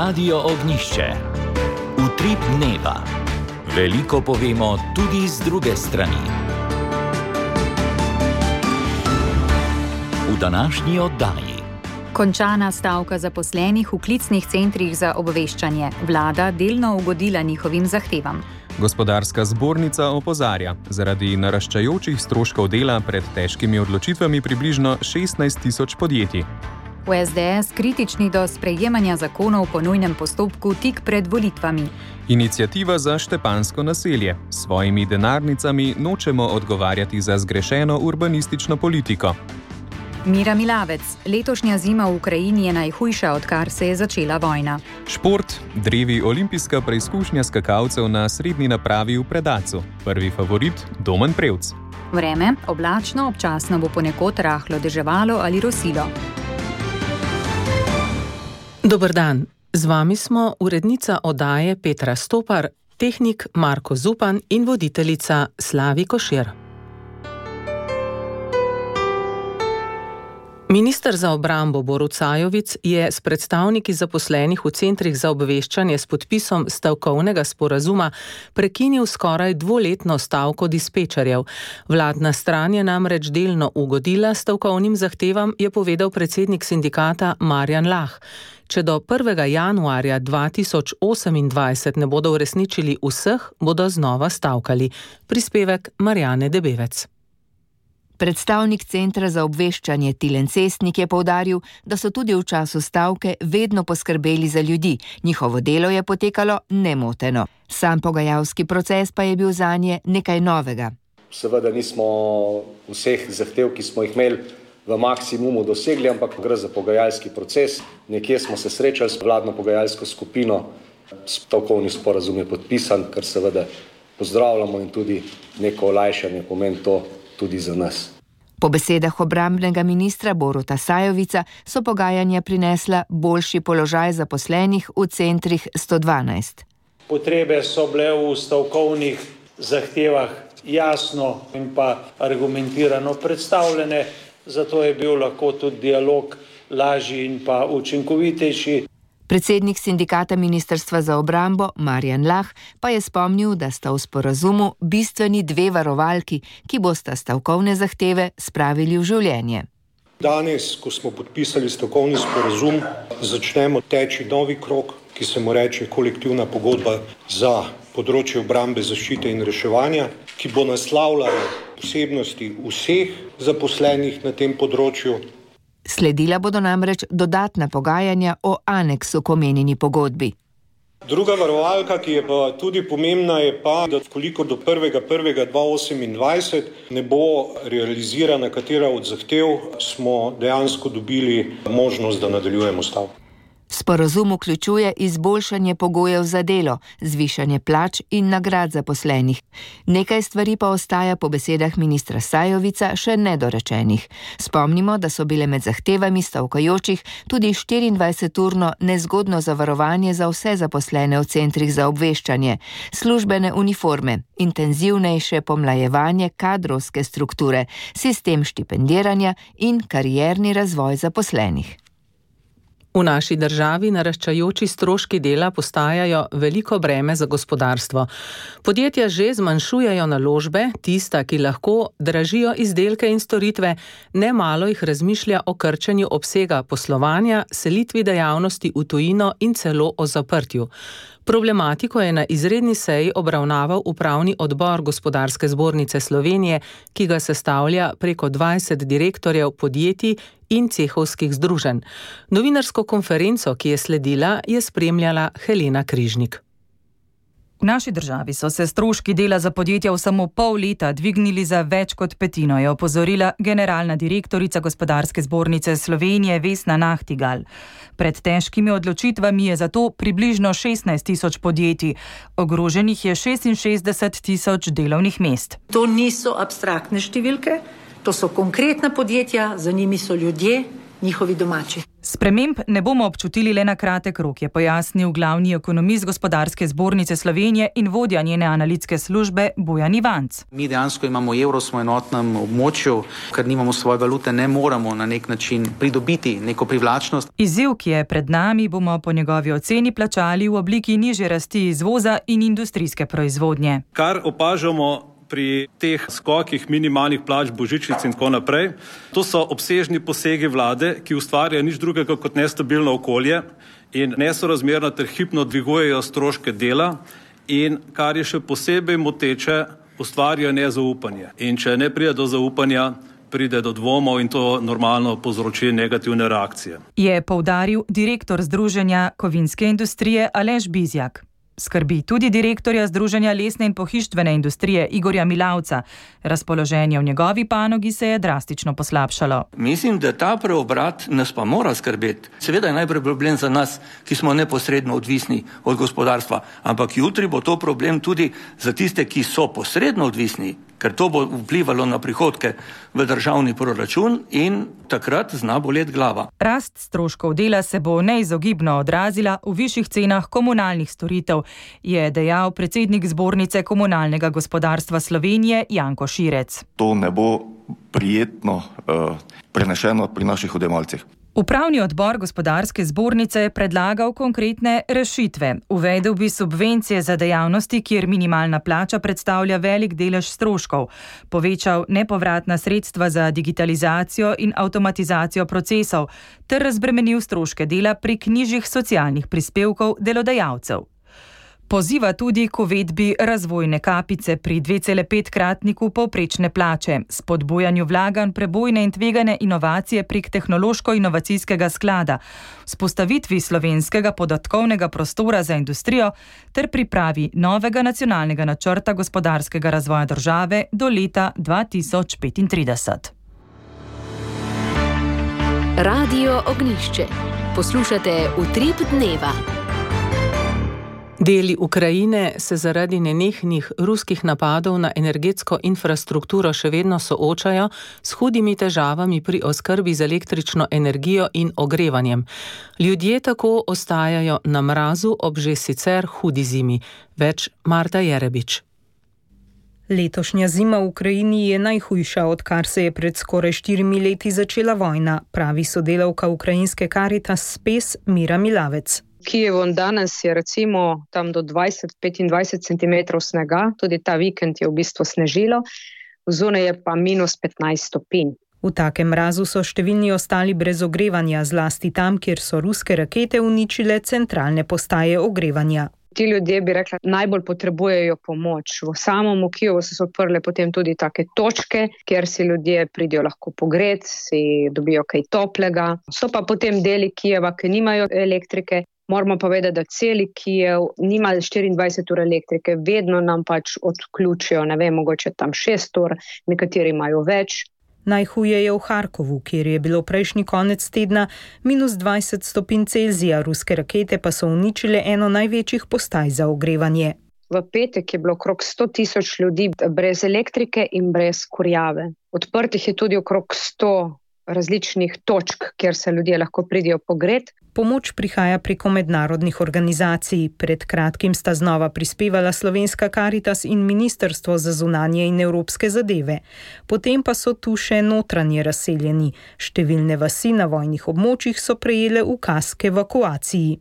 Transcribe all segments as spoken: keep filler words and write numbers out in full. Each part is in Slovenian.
Radio Ognišče. Utrip dneva. Veliko povemo tudi z druge strani. V današnji oddaji. Končana stavka zaposlenih v klicnih centrih za obveščanje. Vlada delno ugodila njihovim zahtevam. Gospodarska zbornica opozarja, zaradi naraščajočih stroškov dela pred težkimi odločitvami približno šestnajst tisoč podjetij. V es de es kritični do sprejemanja zakonov po nujnem postopku tik pred volitvami. Iniciativa za Štepansko naselje. S svojimi denarnicami nočemo odgovarjati za zgrešeno urbanistično politiko. Mira Milavec. Letošnja zima v Ukrajini je najhujša, odkar se je začela vojna. Šport. Drevi olimpijska preizkušnja skakalcev na srednji napravi v Predacu. Prvi favorit Domen Prevc. Vreme. Oblačno, občasno bo ponekod rahlo deževalo ali rosilo. Dober dan. Z vami smo urednica oddaje Petra Stopar, tehnik Marko Zupan in voditeljica Slavi Košir. Minister za obrambo Borut Sajovic je s predstavniki zaposlenih v centrih za obveščanje s podpisom stavkovnega sporazuma prekinil skoraj dvoletno stavko dispečerjev. Vladna stran je namreč delno ugodila stavkovnim zahtevam, je povedal predsednik sindikata Marjan Lah. Če do prvega januarja dva tisoč osemindvajset ne bodo uresničili vseh, bodo znova stavkali. Prispevek Marjane Debevec. Predstavnik Centra za obveščanje Tilen Cestnik je poudaril, da so tudi v času stavke vedno poskrbeli za ljudi. Njihovo delo je potekalo nemoteno. Sam pogajalski proces pa je bil zanje nekaj novega. Seveda nismo vseh zahtev, ki smo jih imeli, v maksimumu dosegli, ampak gre za pogajalski proces. Nekje smo se srečali s vladno pogajalsko skupino, stavkovni sporazum je podpisan, kar seveda pozdravljamo in tudi neko olajšanje pomeni to tudi za nas. Po besedah obrambnega ministra Boruta Sajovica so pogajanja prinesla boljši položaj zaposlenih v centrih sto dvanajst. Potrebe so bile v stavkovnih zahtevah jasno in pa argumentirano predstavljene, zato je bil lahko tudi dialog lažji in pa učinkovitejši. Predsednik sindikata Ministrstva za obrambo Marjan Lah pa je spomnil, da sta v sporazumu bistveni dve varovalki, ki bosta stavkovne zahteve spravili v življenje. Danes, ko smo podpisali stavkovni sporazum, začnemo teči novi krog, ki se mu reče kolektivna pogodba za področje obrambe, zaščite in reševanja, ki bo naslavljala posebnosti vseh zaposlenih na tem področju. Sledila bodo namreč dodatna pogajanja o aneksu k omenjeni pogodbi. Druga varovalka, ki je pa tudi pomembna, je pa, da koliko do prvega prvega dva tisoč osemindvajset ne bo realizirana katera od zahtev, smo dejansko dobili možnost, da nadaljujemo stavko. Sporazum vključuje izboljšanje pogojev za delo, zvišanje plač in nagrad zaposlenih. Nekaj stvari pa ostaja po besedah ministra Sajovica še nedorečenih. Spomnimo, da so bile med zahtevami stavkajočih tudi štiriindvajseturno nezgodno zavarovanje za vse zaposlene v centrih za obveščanje, službene uniforme, intenzivnejše pomlajevanje kadrovske strukture, sistem štipendiranja in karierni razvoj zaposlenih. V naši državi naraščajoči stroški dela postajajo veliko breme za gospodarstvo. Podjetja že zmanjšujejo naložbe, tista, ki lahko dražijo izdelke in storitve, nemalo jih razmišlja o krčenju obsega poslovanja, selitvi dejavnosti v tujino in celo o zaprtju. Problematiko je na izredni seji obravnaval upravni odbor Gospodarske zbornice Slovenije, ki ga sestavlja preko dvajset direktorjev podjetij in cehovskih združenj. Novinarsko konferenco, ki je sledila, je spremljala Helena Križnik. V naši državi so se stroški dela za podjetja v samo pol leta dvignili za več kot petino, je opozorila generalna direktorica Gospodarske zbornice Slovenije Vesna Nahtigal. Pred težkimi odločitvami je zato približno šestnajst tisoč podjetij. Ogroženih je šestinšestdeset tisoč delovnih mest. To niso abstraktne številke, to so konkretna podjetja, za njimi so ljudje njihovi domači. Sprememb ne bomo občutili le na kratek rok, je pojasnil glavni ekonomist Gospodarske zbornice Slovenije in vodja njene analitske službe Bojan Ivanc. Mi dejansko imamo evro, smo enotnem območju, ker nimamo svoje valute, ne moramo na nek način pridobiti neko privlačnost. Izziv, ki je pred nami, bomo po njegovi oceni plačali v obliki nižje rasti izvoza in industrijske proizvodnje. Kar opažamo pri teh skokih minimalnih plač, božičnic in tako naprej, to so obsežni posegi vlade, ki ustvarjajo nič drugega kot nestabilno okolje in nesorazmerno ter hipno dvigujejo stroške dela in, kar je še posebej moteče, ustvarjajo nezaupanje. In če ne pride do zaupanja, pride do dvomov in to normalno povzroči negativne reakcije. Je poudaril direktor Združenja kovinske industrije Aleš Bizjak. Skrbi tudi direktorja Združenja lesne in pohištvene industrije Igorja Milavca. Razpoloženje v njegovi panogi se je drastično poslabšalo. Mislim, da ta preobrat nas pa mora skrbeti. Seveda je najprej problem za nas, ki smo neposredno odvisni od gospodarstva, ampak jutri bo to problem tudi za tiste, ki so posredno odvisni, ker to bo vplivalo na prihodke v državni proračun in takrat zna boleti glava. Rast stroškov dela se bo neizogibno odrazila v višjih cenah komunalnih storitev, je dejal predsednik Zbornice komunalnega gospodarstva Slovenije Janko Širec. To ne bo prijetno uh, prenešeno pri naših odjemalcih. Upravni odbor Gospodarske zbornice je predlagal konkretne rešitve. Uvedel bi subvencije za dejavnosti, kjer minimalna plača predstavlja velik delež stroškov, povečal nepovratna sredstva za digitalizacijo in avtomatizacijo procesov ter razbremenil stroške dela prek nižjih socialnih prispevkov delodajalcev. Poziva tudi k uvedbi razvojne kapice pri dve cela pet kratniku povprečne plače, spodbujanju vlaganj prebojne in tvegane inovacije prek tehnološko-inovacijskega sklada, vzpostavitvi slovenskega podatkovnega prostora za industrijo ter pripravi novega nacionalnega načrta gospodarskega razvoja države do leta dva tisoč petintrideset. Radio Ognjišče. Poslušate Utrip dneva. Deli Ukrajine se zaradi nenehnih ruskih napadov na energetsko infrastrukturo še vedno soočajo s hudimi težavami pri oskrbi z električno energijo in ogrevanjem. Ljudje tako ostajajo na mrazu ob že sicer hudi zimi. Več Marta Jerebič. Letošnja zima v Ukrajini je najhujša, odkar se je pred skoraj štirimi leti začela vojna, pravi sodelavka ukrajinske Caritas Spes Mira Milavec. Kijevom danes je recimo tam do dvajset do petindvajset centimetrov snega, tudi ta vikend je v bistvu snežilo, zunaj je pa minus petnajst stopinj. V takem mrazu so številni ostali brez ogrevanja, zlasti tam, kjer so ruske rakete uničile centralne postaje ogrevanja. Ti ljudje, bi rekla, najbolj potrebujejo pomoč. V samom Kijevu so se odprle potem tudi take točke, kjer si ljudje pridejo lahko pogret, si dobijo kaj toplega. So pa potem deli Kijeva, ki nimajo elektrike. Moramo pa vedeti, da celi Kijev nima štiriindvajset ur elektrike, vedno nam pač odključijo, ne vem, mogoče tam šest ur, nekateri imajo več. Najhuje je v Harkovu, kjer je bilo prejšnji konec tedna minus dvajset stopinj Celzija, ruske rakete pa so uničile eno največjih postaj za ogrevanje. V petek je bilo okrog sto tisoč ljudi brez elektrike in brez kurjave. Odprtih je tudi okrog sto različnih točk, kjer se ljudje lahko pridijo pogret. Pomoč prihaja preko mednarodnih organizacij. Pred kratkim sta znova prispevala slovenska Caritas in Ministrstvo za zunanje in evropske zadeve. Potem pa so tu še notranje razseljeni. Številne vasi na vojnih območjih so prejele ukaz k evakuaciji.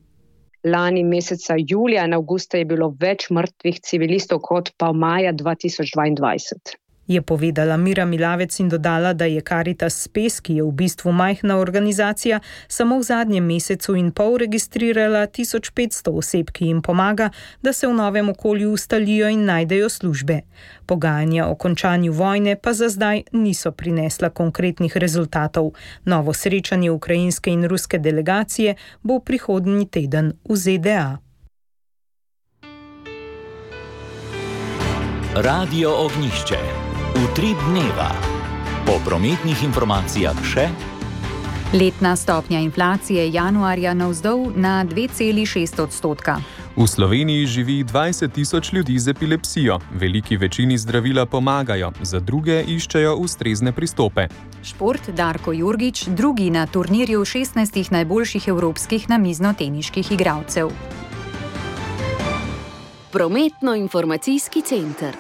Lani meseca julija in avgusta je bilo več mrtvih civilistov kot pa maja dva tisoč dvaindvajset. Je povedala Mira Milavec in dodala, da je Caritas Spes, ki je v bistvu majhna organizacija, samo v zadnjem mesecu in pol registrirala tisoč petsto oseb, ki jim pomaga, da se v novem okolju ustalijo in najdejo službe. Pogajanja o končanju vojne pa za zdaj niso prinesla konkretnih rezultatov. Novo srečanje ukrajinske in ruske delegacije bo prihodnji teden v Z D A. Radio Ognjišče. Utrip dneva. Po prometnih informacijah še. Letna stopnja inflacije januarja navzdol na dve celi šest odstotka. V Sloveniji živi dvajset tisoč ljudi z epilepsijo. Veliki večini zdravila pomagajo, za druge iščejo ustrezne pristope. Šport Darko Jurgič, drugi na turnirju šestnajstih najboljših evropskih namiznoteniških igralcev. Prometno-informacijski center.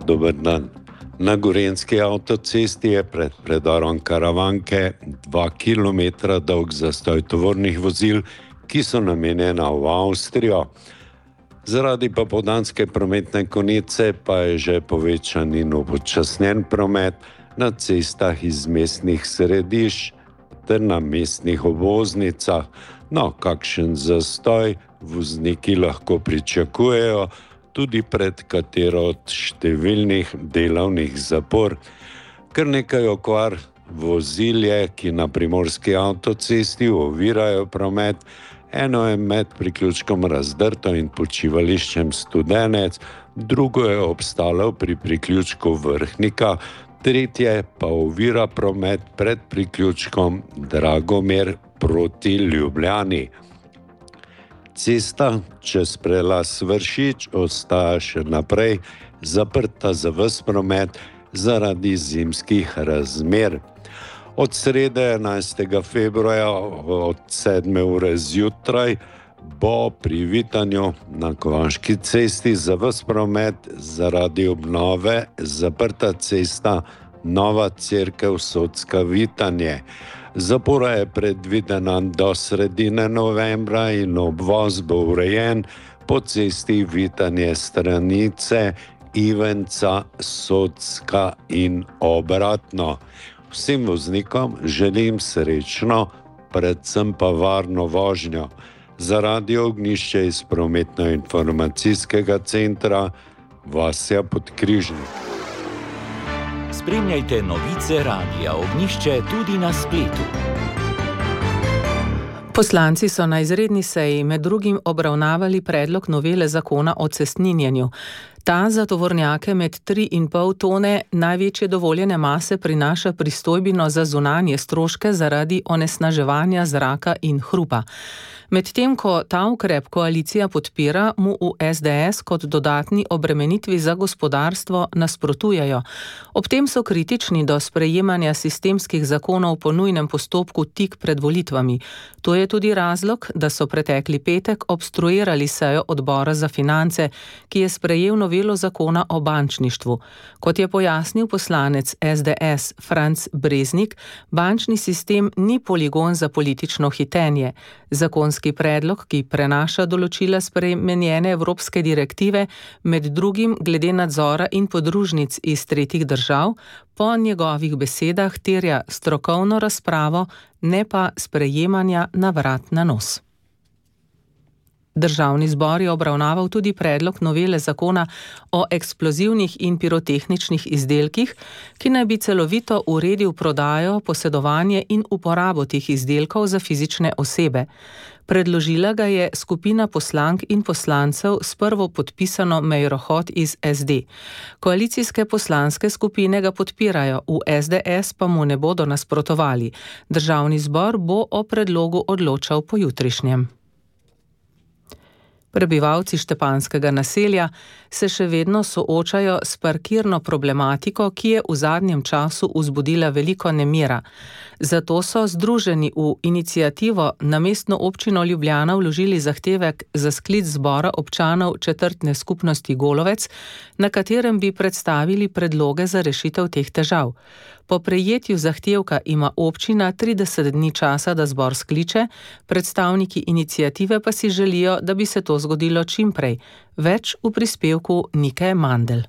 Dober dan. Na Gorenjski avtocesti je pred predorom Karavanke dva kilometra dolg zastoj tovornih vozil, ki so namenjena v Avstrijo. Zaradi popoldanske prometne konice pa je že povečan in upočasnjen promet na cestah iz mestnih središč ter na mestnih obvoznicah. No, kakšen zastoj vozniki lahko pričakujejo tudi pred katero od številnih delovnih zapor. Kar nekaj okvar vozil je, ki na primorski avtocesti ovirajo promet. Eno je med priključkom Razdrto in počivališčem Studenec, drugo je obstalo pri priključku Vrhnika, tretje pa ovira promet pred priključkom Dragomer proti Ljubljani. Cesta čez prelaz Vršič ostaja še naprej zaprta za ves promet zaradi zimskih razmer. Od srede enajstega februarja od sedme ure zjutraj bo pri Vitanju na Kovanški cesti za ves promet zaradi obnove zaprta cesta Nova Cerkev Socka Vitanje. Zapora je predvidena do sredine novembra in obvoz bo urejen po cesti Vitanje Stranice, Ivenca, Socka in obratno. Vsem voznikom želim srečno, predvsem pa varno vožnjo. Za Radio Ognjišče iz Prometno-informacijskega centra Vasja Podkrižnik. Spremljajte novice Radia Ognjišče tudi na spletu. Poslanci so na izredni seji med drugim obravnavali predlog novele zakona o cestninjenju. Ta za tovornjake med tri in pol tone največje dovoljene mase prinaša pristojbino za zunanje stroške zaradi onesnaževanja zraka in hrupa. Medtem ko ta ukrep koalicija podpira, mu v es de es kot dodatni obremenitvi za gospodarstvo nasprotujejo. Ob tem so kritični do sprejemanja sistemskih zakonov po nujnem postopku tik pred volitvami. To je tudi razlog, da so pretekli petek obstruirali sejo odbora za finance, ki je sprejel novelo zakona o bančništvu. Kot je pojasnil poslanec es de es Franc Breznik, bančni sistem ni poligon za politično hitenje. Zakonski predlog, ki prenaša določila spremenjene evropske direktive, med drugim glede nadzora in podružnic iz tretjih držav, po njegovih besedah terja strokovno razpravo, ne pa sprejemanja na vrat na nos. Državni zbor je obravnaval tudi predlog novele zakona o eksplozivnih in pirotehničnih izdelkih, ki naj bi celovito uredil prodajo, posedovanje in uporabo teh izdelkov za fizične osebe. Predložila ga je skupina poslank in poslancev s prvo podpisano Meiro Hot iz es de. Koalicijske poslanske skupine ga podpirajo, v es de es pa mu ne bodo nasprotovali. Državni zbor bo o predlogu odločal pojutrišnjem. Prebivalci Štepanskega naselja se še vedno soočajo s parkirno problematiko, ki je v zadnjem času vzbudila veliko nemira. Zato so združeni v iniciativo na mestno občino Ljubljana vložili zahtevek za sklic zbora občanov četrtne skupnosti Golovec, na katerem bi predstavili predloge za rešitev teh težav. Po prejetju zahtevka ima občina trideset dni časa, da zbor skliče, predstavniki iniciative pa si želijo, da bi se to zgodilo čim prej. Več v prispevku Nike Mandl.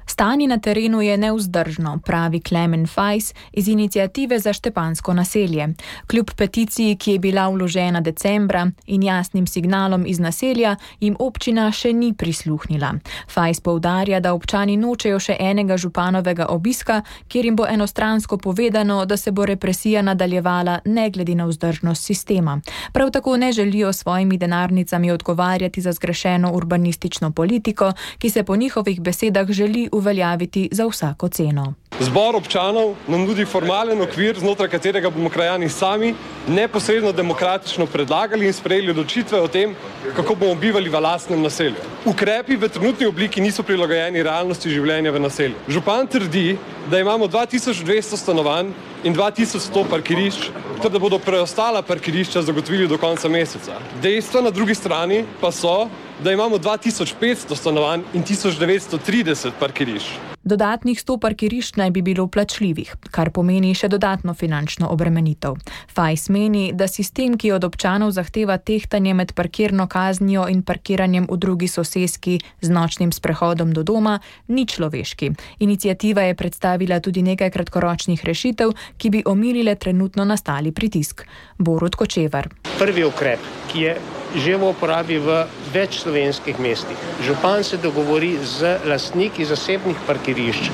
Stanje na terenu je nevzdržno, pravi Klemen Fajs iz iniciative za Štepansko naselje. Kljub peticiji, ki je bila vložena decembra in jasnim signalom iz naselja, jim občina še ni prisluhnila. Fajs poudarja, da občani nočejo še enega županovega obiska, kjer jim bo enostransko povedano, da se bo represija nadaljevala ne glede na vzdržnost sistema. Prav tako ne želijo svojimi denarnicami odgovarjati za zgrešeno urbanistično politiko, ki se po njihovih besedah želi uveljaviti uveljaviti za vsako ceno. Zbor občanov nam nudi formalen okvir, znotraj katerega bomo krajani sami neposredno demokratično predlagali in sprejeli odločitve o tem, kako bomo bivali v lastnem naselju. Ukrepi v trenutni obliki niso prilagojeni realnosti življenja v naselju. Župan trdi, da imamo dva tisoč dvesto stanovanj in dva tisoč sto parkirišč, ter da bodo preostala parkirišča zagotovili do konca meseca. Dejstva na drugi strani pa so, da imamo dva tisoč petsto stanovanj in tisoč devetsto trideset parkirišč. Dodatnih sto parkirišč naj bi bilo plačljivih, kar pomeni še dodatno finančno obremenitev. Fajs meni, da sistem, ki od občanov zahteva tehtanje med parkirno kaznijo in parkiranjem v drugi soseski z nočnim sprehodom do doma, ni človeški. Iniciativa je predstavila tudi nekaj kratkoročnih rešitev, ki bi omilile trenutno nastali pritisk. Borut Kočevar. Prvi ukrep, ki je že v uporabi v več slovenskih mestih. Župan se dogovori z lastniki zasebnih parkirišč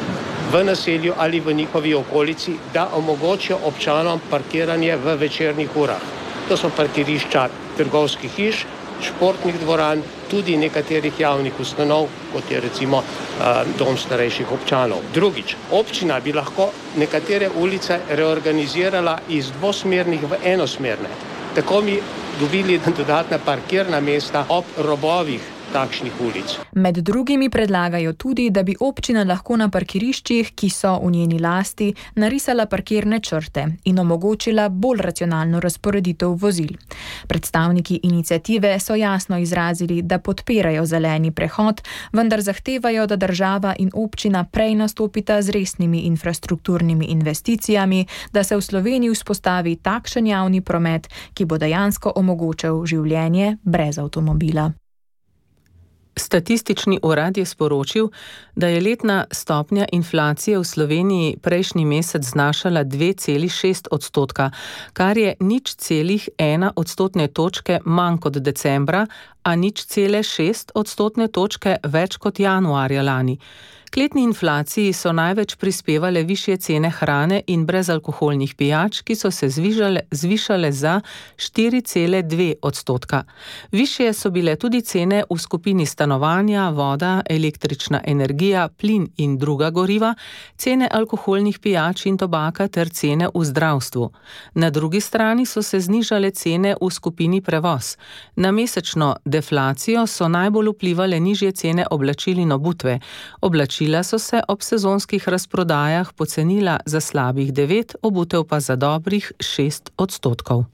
v naselju ali v njihovi okolici, da omogočijo občanom parkiranje v večernih urah. To so parkirišča trgovskih hiš, športnih dvoran, tudi nekaterih javnih ustanov, kot je recimo uh, dom starejših občanov. Drugič, občina bi lahko nekatere ulice reorganizirala iz dvosmernih v enosmerne. Tako bi dobili dodatna parkirna mesta ob robovih takšnih ulic. Med drugimi predlagajo tudi, da bi občina lahko na parkiriščih, ki so v njeni lasti, narisala parkirne črte in omogočila bolj racionalno razporeditev vozil. Predstavniki iniciative so jasno izrazili, da podpirajo zeleni prehod, vendar zahtevajo, da država in občina prej nastopita z resnimi infrastrukturnimi investicijami, da se v Sloveniji vzpostavi takšen javni promet, ki bo dejansko omogočal življenje brez avtomobila. Statistični urad je sporočil, da je letna stopnja inflacije v Sloveniji prejšnji mesec znašala dve celi šest odstotka, kar je nič celih ena odstotne točke manj kot decembra, a nič cele šest odstotne točke več kot januarja lani. K letni inflaciji so največ prispevale višje cene hrane in brezalkoholnih pijač, ki so se zvišale, zvišale za štiri cele dve odstotka. Višje so bile tudi cene v skupini stanovanja, voda, električna energija, plin in druga goriva, cene alkoholnih pijač in tobaka ter cene v zdravstvu. Na drugi strani so se znižale cene v skupini prevoz. Na mesečno deflacijo so najbolj vplivale nižje cene oblačil in obutve. Oblačila so se ob sezonskih razprodajah pocenila za slabih devet, obutev pa za dobrih šest odstotkov.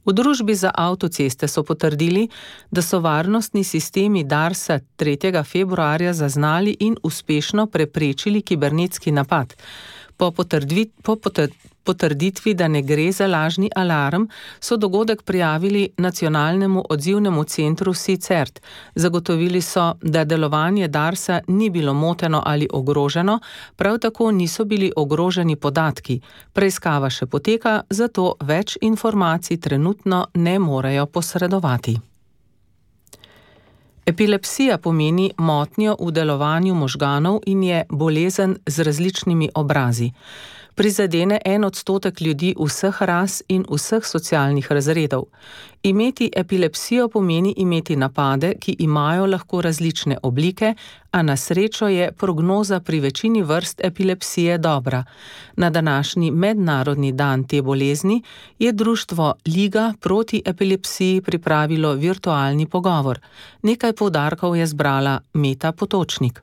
V družbi za avtoceste so potrdili, da so varnostni sistemi Darsa tretjega februarja zaznali in uspešno preprečili kibernetski napad. Po, potrdvi, po potrditvi, da ne gre za lažni alarm, so dogodek prijavili Nacionalnemu odzivnemu centru SICERT. Zagotovili so, da delovanje Darsa ni bilo moteno ali ogroženo, prav tako niso bili ogroženi podatki. Preiskava še poteka, zato več informacij trenutno ne morejo posredovati. Epilepsija pomeni motnjo v delovanju možganov in je bolezen z različnimi obrazi. Prizadene en odstotek ljudi vseh ras in vseh socialnih razredov. Imeti epilepsijo pomeni imeti napade, ki imajo lahko različne oblike, a na srečo je prognoza pri večini vrst epilepsije dobra. Na današnji mednarodni dan te bolezni je društvo Liga proti epilepsiji pripravilo virtualni pogovor. Nekaj poudarkov je zbrala Meta Potočnik.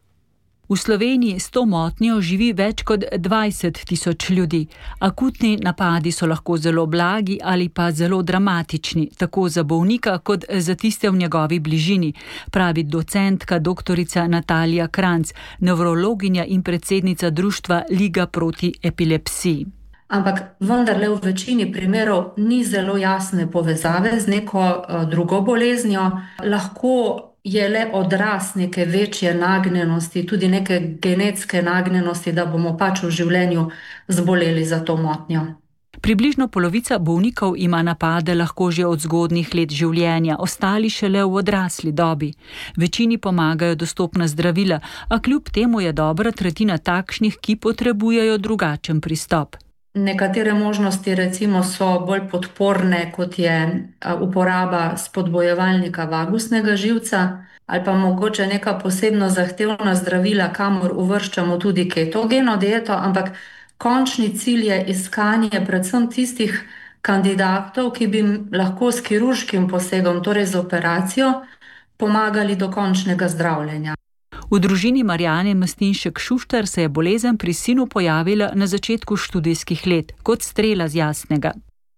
V Sloveniji s to motnjo živi več kot dvajset tisoč ljudi. Akutni napadi so lahko zelo blagi ali pa zelo dramatični, tako za bolnika kot za tiste v njegovi bližini, pravi docentka doktorica Natalija Kranc, nevrologinja in predsednica društva Liga proti epilepsiji. Ampak vendarle v večini primerov ni zelo jasne povezave z neko uh, drugo boleznijo. Lahko je le odraz neke večje nagnjenosti, tudi neke genetske nagnjenosti, da bomo pač v življenju zboleli za to motnjo. Približno polovica bolnikov ima napade lahko že od zgodnjih let življenja, ostali šele v odrasli dobi. Večini pomagajo dostopna zdravila, a kljub temu je dobra tretjina takšnih, ki potrebujejo drugačen pristop. Nekatere možnosti recimo so bolj podporne, kot je uporaba spodbojevalnika vagusnega živca ali pa mogoče neka posebno zahtevna zdravila, kamor uvrščamo tudi ketogeno dieto, ampak končni cilj je iskanje predvsem tistih kandidatov, ki bi lahko s kirurškim posegom, torej z operacijo, pomagali do končnega zdravljenja. V družini Marjane Mstinšek-Šuštar se je bolezen pri sinu pojavila na začetku študijskih let, kot strela z jasnega.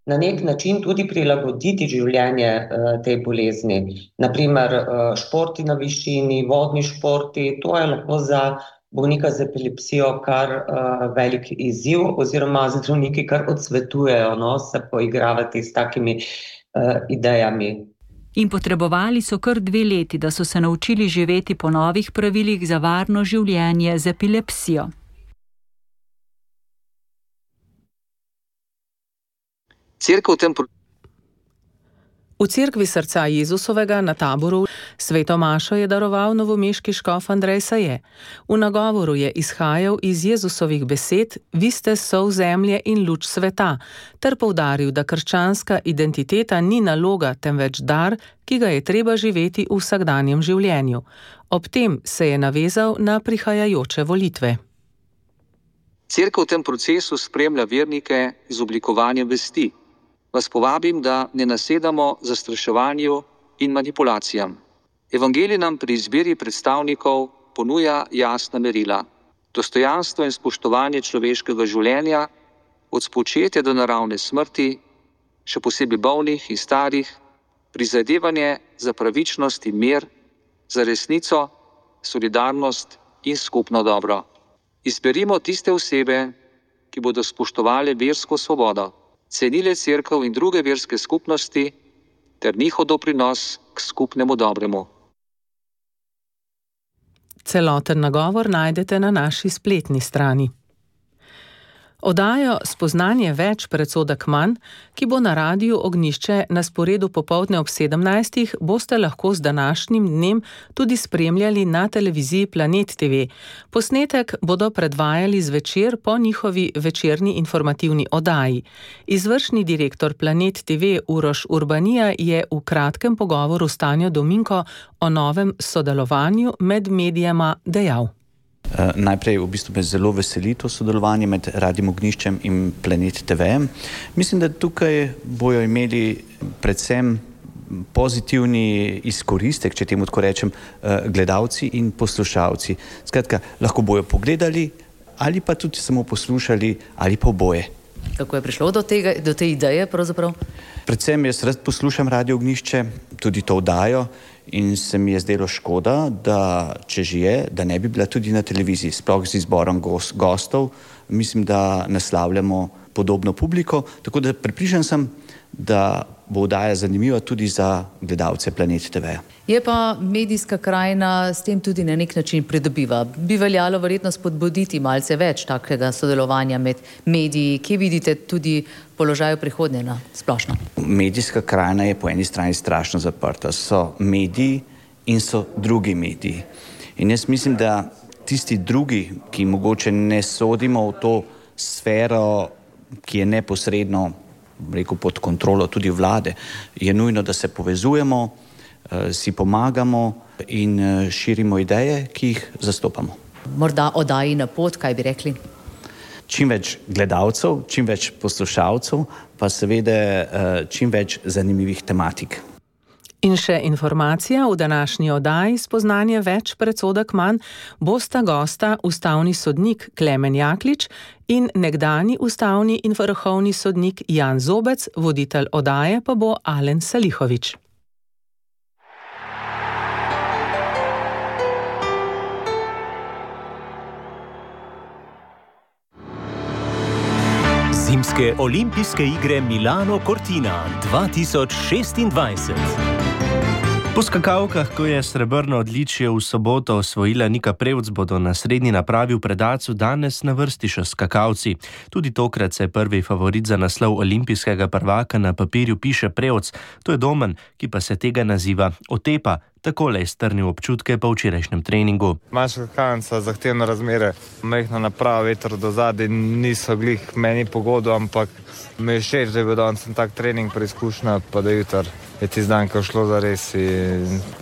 Na nek način tudi prilagoditi življenje uh, tej bolezni. Naprimer uh, športi na višini, vodni športi, to je lahko za bolnika z epilepsijo kar uh, velik izziv, oziroma zdravniki kar odsvetujejo, no, se poigravati s takimi uh, idejami. In potrebovali so kar dve leti, da so se naučili živeti po novih pravilih za varno življenje z epilepsijo. Cerkev v tem V cerkvi srca Jezusovega na Taboru sveto mašo je daroval novomeški škof Andrej Saje. V nagovoru je izhajal iz Jezusovih besed: "Vi ste sol zemlje in luč sveta", ter poudaril, da krščanska identiteta ni naloga, temveč dar, ki ga je treba živeti v vsakdanjem življenju. Ob tem se je navezal na prihajajoče volitve. Cerkev v tem procesu spremlja vernike z oblikovanjem vesti. Vas povabim, da ne nasedamo zastraševanju in manipulacijam. Evangelij nam pri izbiri predstavnikov ponuja jasna merila. Dostojanstvo in spoštovanje človeškega življenja, od spočetja do naravne smrti, še posebej bolnih in starih, prizadevanje za pravičnost in mir, za resnico, solidarnost in skupno dobro. Izberimo tiste osebe, ki bodo spoštovali versko svobodo, cenile cerkev in druge verske skupnosti ter njihov doprinos k skupnemu dobremu. Celoten nagovor najdete na naši spletni strani. Oddajo Spoznanje več, predsodek manj, ki bo na Radiu Ognjišče na sporedu popoldne ob sedemnajstih, boste lahko z današnjim dnem tudi spremljali na televiziji Planet T V. Posnetek bodo predvajali zvečer po njihovi večerni informativni oddaji. Izvršni direktor Planet T V Uroš Urbanija je v kratkem pogovoru s Tanjo Dominko o novem sodelovanju med medijema dejal. Uh, najprej v bistvu me zelo veseli to sodelovanje med Radiem Ognjiščem in Planet T V. Mislim, da tukaj bojo imeli predvsem pozitivni izkoristek, če temu tako rečem, uh, gledalci in poslušalci. Skratka, lahko bojo pogledali ali pa tudi samo poslušali ali pa oboje. Kako je prišlo do tega, do te ideje pravzaprav? Predvsem jaz rad poslušam Radio Ognjišče, tudi to oddajo, in se mi je zdelo škoda, da če že je, da ne bi bila tudi na televiziji, sploh z izborom gostov. Mislim, da naslavljamo podobno publiko, tako da prepričan sem, da bo oddaja zanimiva tudi za gledalce Planet T V. Je pa medijska krajina s tem tudi na nek način pridobiva. Bi veljalo verjetno spodbuditi malce več takega sodelovanja med mediji, ki vidite tudi položaj prihodnje na splošno. Medijska krajina je po eni strani strašno zaprta. So mediji in so drugi mediji. In jaz mislim, da tisti drugi, ki mogoče ne sodimo v to sfero, ki je neposredno rekel, pod kontrolo tudi vlade, je nujno, da se povezujemo, si pomagamo in širimo ideje, ki jih zastopamo. Morda oddaji na pot, kaj bi rekli? Čim več gledalcev, čim več poslušalcev, pa seveda čim več zanimivih tematik. In še informacija v današnji oddaji Spoznanje več, predsodek manj, bosta gosta ustavni sodnik Klemen Jaklič in nekdani ustavni in vrhovni sodnik Jan Zobec, voditelj oddaje pa bo Alen Salihovič. Zimske olimpijske igre Milano Cortina dva tisoč šestindvajset. Po skakavkah, ko je srebrno odličje v soboto osvojila Nika Prevc, bodo na srednji napravi v Predacu danes na vrsti še skakalci. Tudi tokrat se prvi favorit za naslov olimpijskega prvaka na papirju piše Prevc. To je Domen, ki pa se tega naziva otepa, takole je strnil občutke po včerajšnjem treningu. Manjša skakalnica, zahtevne razmere, majhna naprava, veter do zadaj, niso glih meni pogodo, ampak mi je všeč, da je bil danes tak trening preizkušnja, pa da jutr je tisti dan, ko je šlo za res.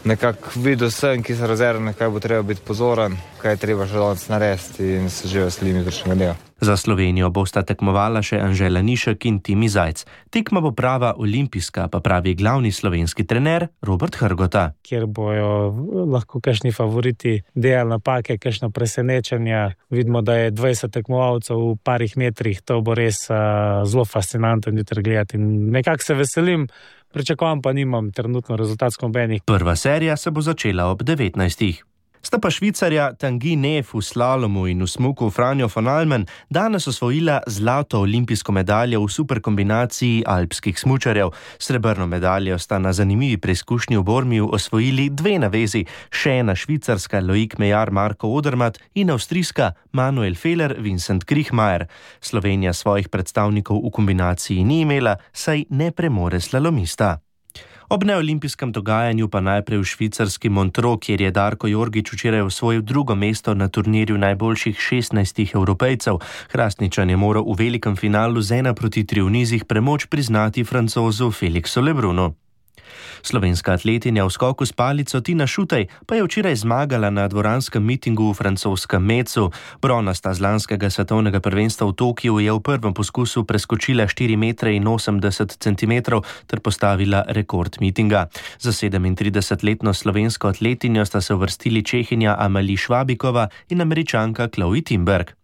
Nekako videl sem, ki se razerne, kaj bo treba biti pozoren, kaj je treba še danes narediti in se že veselim jutrišnjega dneva. Za Slovenijo bosta tekmovala še Anžela Nišek in Timi Zajc. Tekma bo prava olimpijska, pa pravi glavni slovenski trener Robert Hrgota. Kjer bojo lahko kakšni favoriti delali napake, kakšno presenečenje. Vidimo, da je dvajset tekmovalcev v parih metrih, to bo res uh, zelo fascinantno jutri gledati. In nekako se veselim, pričakujem pa nimam trenutno rezultatsko nobenih. Prva serija se bo začela ob devetnajstih. Sta pa Švicarja Tanguy Neff v slalomu in v smuku Franjo von Almen danes osvojila zlato olimpijsko medaljo v superkombinaciji alpskih smučarjev. Srebrno medaljo sta na zanimivi preizkušnji v Bormiju osvojili dve navezi, še ena švicarska Loic Meillard Marco Odermatt in avstrijska Manuel Feller Vincent Kriechmayr. Slovenija svojih predstavnikov v kombinaciji ni imela, saj ne premore slalomista. Ob neolimpijskem dogajanju pa najprej v švicarski Montreux, kjer je Darko Jorgič včeraj osvojil drugo mesto na turnirju najboljših šestnajstih Evropejcev. Hrastničan je moral v velikem finalu z ena proti tri v nizih premoč priznati Francozu Felixu Lebrunu. Slovenska atletinja v skoku s palico Tina Šutej pa je včeraj zmagala na dvoranskem mitingu v francoskem Metzu. Bronasta z lanskega svetovnega prvenstva v Tokiu je v prvem poskusu preskočila štiri metre in osemdeset centimetrov ter postavila rekord mitinga. Za sedemintridesetletno slovensko atletinjo sta se uvrstili Čehinja Amelie Švabikova in Američanka Chloe Timberg.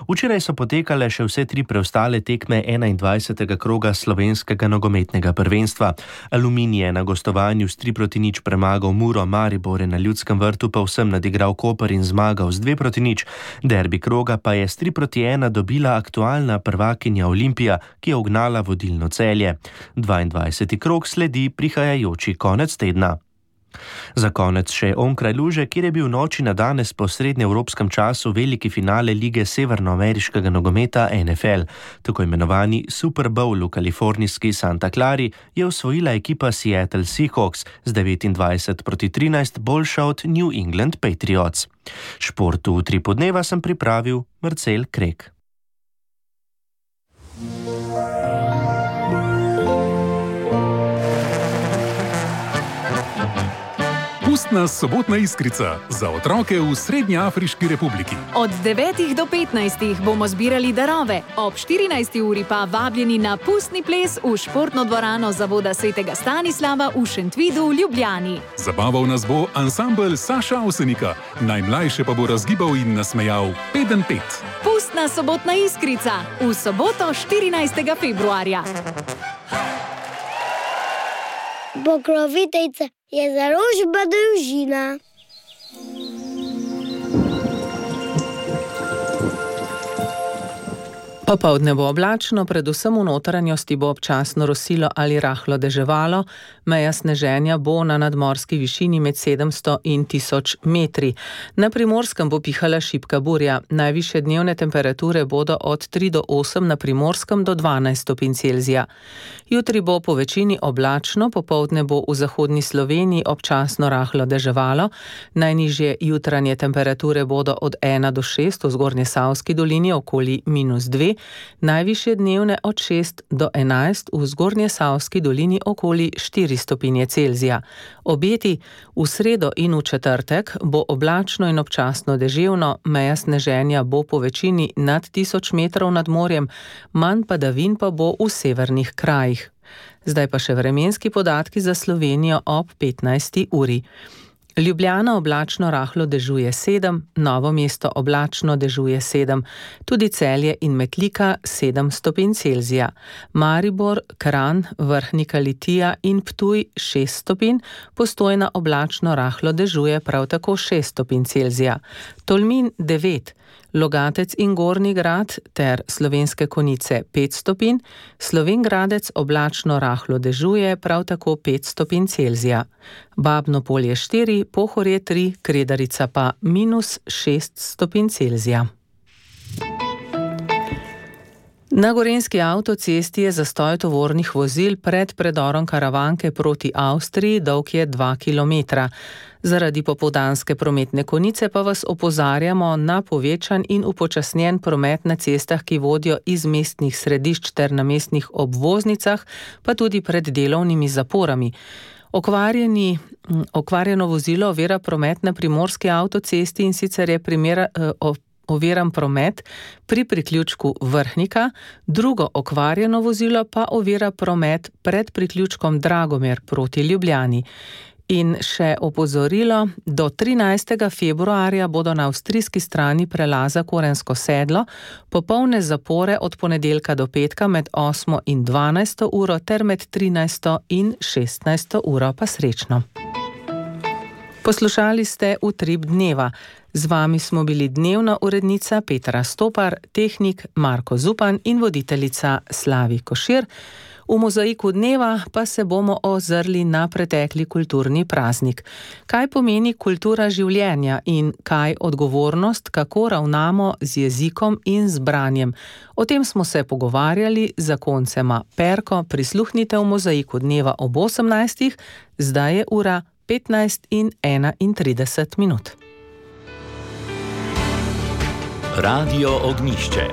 Včeraj so potekale še vse tri preostale tekme enaindvajsetega kroga slovenskega nogometnega prvenstva. Aluminij je na gostovanju s tri proti nič premagal Muro, Maribor je na Ljudskem vrtu pa vsem nadigral Koper in zmagal z dve proti nič. Derbi kroga pa je s tri proti ena dobila aktualna prvakinja Olimpija, ki je ugnala vodilno Celje. dvaindvajseti krog sledi prihajajoči konec tedna. Za konec še onkraj luže, kjer je bil noči na danes po srednjeevropskem času veliki finale lige severnoameriškega nogometa N F L. Tako imenovani Super Bowl v kalifornijski Santa Clari je osvojila ekipa Seattle Seahawks z devetindvajset proti trinajst boljša od New England Patriots. Športu v Tripu dneva sem pripravil Marcel Krek. Pustna sobotna iskrica za otroke v Srednjeafriški republiki. Od devetih do petnajstih bomo zbirali darove, ob štirinajsti uri pa vabljeni na pustni ples v športno dvorano Zavoda svetega Stanislava v Šentvidu v Ljubljani. Zabaval nas bo ansambel Saša Avsenika, najmlajše pa bo razgibal in nasmejal Peden pet. Pustna sobotna iskrica v soboto štirinajstega februarja. Pokroviteljica je založba Družina. Popoldne bo oblačno, predvsem v notranjosti bo občasno rosilo ali rahlo deževalo, meja sneženja bo na nadmorski višini med sedemsto in tisoč metri. Na Primorskem bo pihala šibka burja, najvišje dnevne temperature bodo od tri do osem, na Primorskem do dvanajst stopinj Celzija. Jutri bo po večini oblačno, popoldne bo v zahodni Sloveniji občasno rahlo deževalo, najnižje jutranje temperature bodo od ena do šest, v Zgornjesavski dolini okoli minus dve, najvišje dnevne od šest do enajst, v Zgornjesavski dolini okoli štiri stopinje Celzija. Obeti v sredo in v četrtek bo oblačno in občasno deževno, meja sneženja bo po večini nad tisoč metrov nad morjem, manj padavin pa bo v severnih krajih. Zdaj pa še vremenski podatki za Slovenijo ob petnajsti uri. Ljubljana oblačno rahlo dežuje sedem, Novo mesto oblačno dežuje sedem, tudi Celje in Metlika sedem stopinj Celzija. Maribor, Kranj, Vrhnika Litija in Ptuj šest stopinj, Postojna oblačno rahlo dežuje prav tako šest stopinj Celzija. Tolmin devet, Logatec in Gornji Grad ter Slovenske Konjice pet stopinj, Slovenj Gradec oblačno rahlo dežuje prav tako pet stopinj Celzija. Babno Polje štiri, Pohorje tri, Kredarica pa minus šest stopinj Celzija. Na gorenjski avtocesti je zastoj tovornih vozil pred predorom Karavanke proti Avstriji, dolg je dva kilometra. Zaradi popoldanske prometne konice pa vas opozarjamo na povečan in upočasnjen promet na cestah, ki vodijo iz mestnih središč ter na mestnih obvoznicah, pa tudi pred delovnimi zaporami. Okvarjeni, okvarjeno vozilo ovira promet na primorski avtocesti, in sicer je primera, eh, oviran promet pri priključku Vrhnika, drugo okvarjeno vozilo pa ovira promet pred priključkom Dragomer proti Ljubljani. In še opozorilo, do trinajstega februarja bodo na avstrijski strani prelaza Korensko sedlo popolne zapore od ponedeljka do petka med osmo in dvanajsto uro ter med trinajsto in šestnajsto uro, pa srečno. Poslušali ste Utrip dneva. Z vami smo bili dnevna urednica Petra Stopar, tehnik Marko Zupan in voditeljica Slavi Košir. V mozaiku dneva pa se bomo ozrli na pretekli kulturni praznik. Kaj pomeni kultura življenja in kaj odgovornost, kako ravnamo z jezikom in z branjem? O tem smo se pogovarjali z zakoncema Perko. Prisluhnite v mozaiku dneva ob osemnajstih, zdaj je ura petnajst in enaintrideset minut. Radio Ognjišče.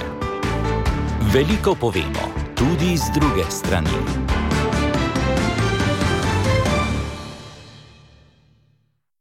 Veliko povemo, tudi z druge strani.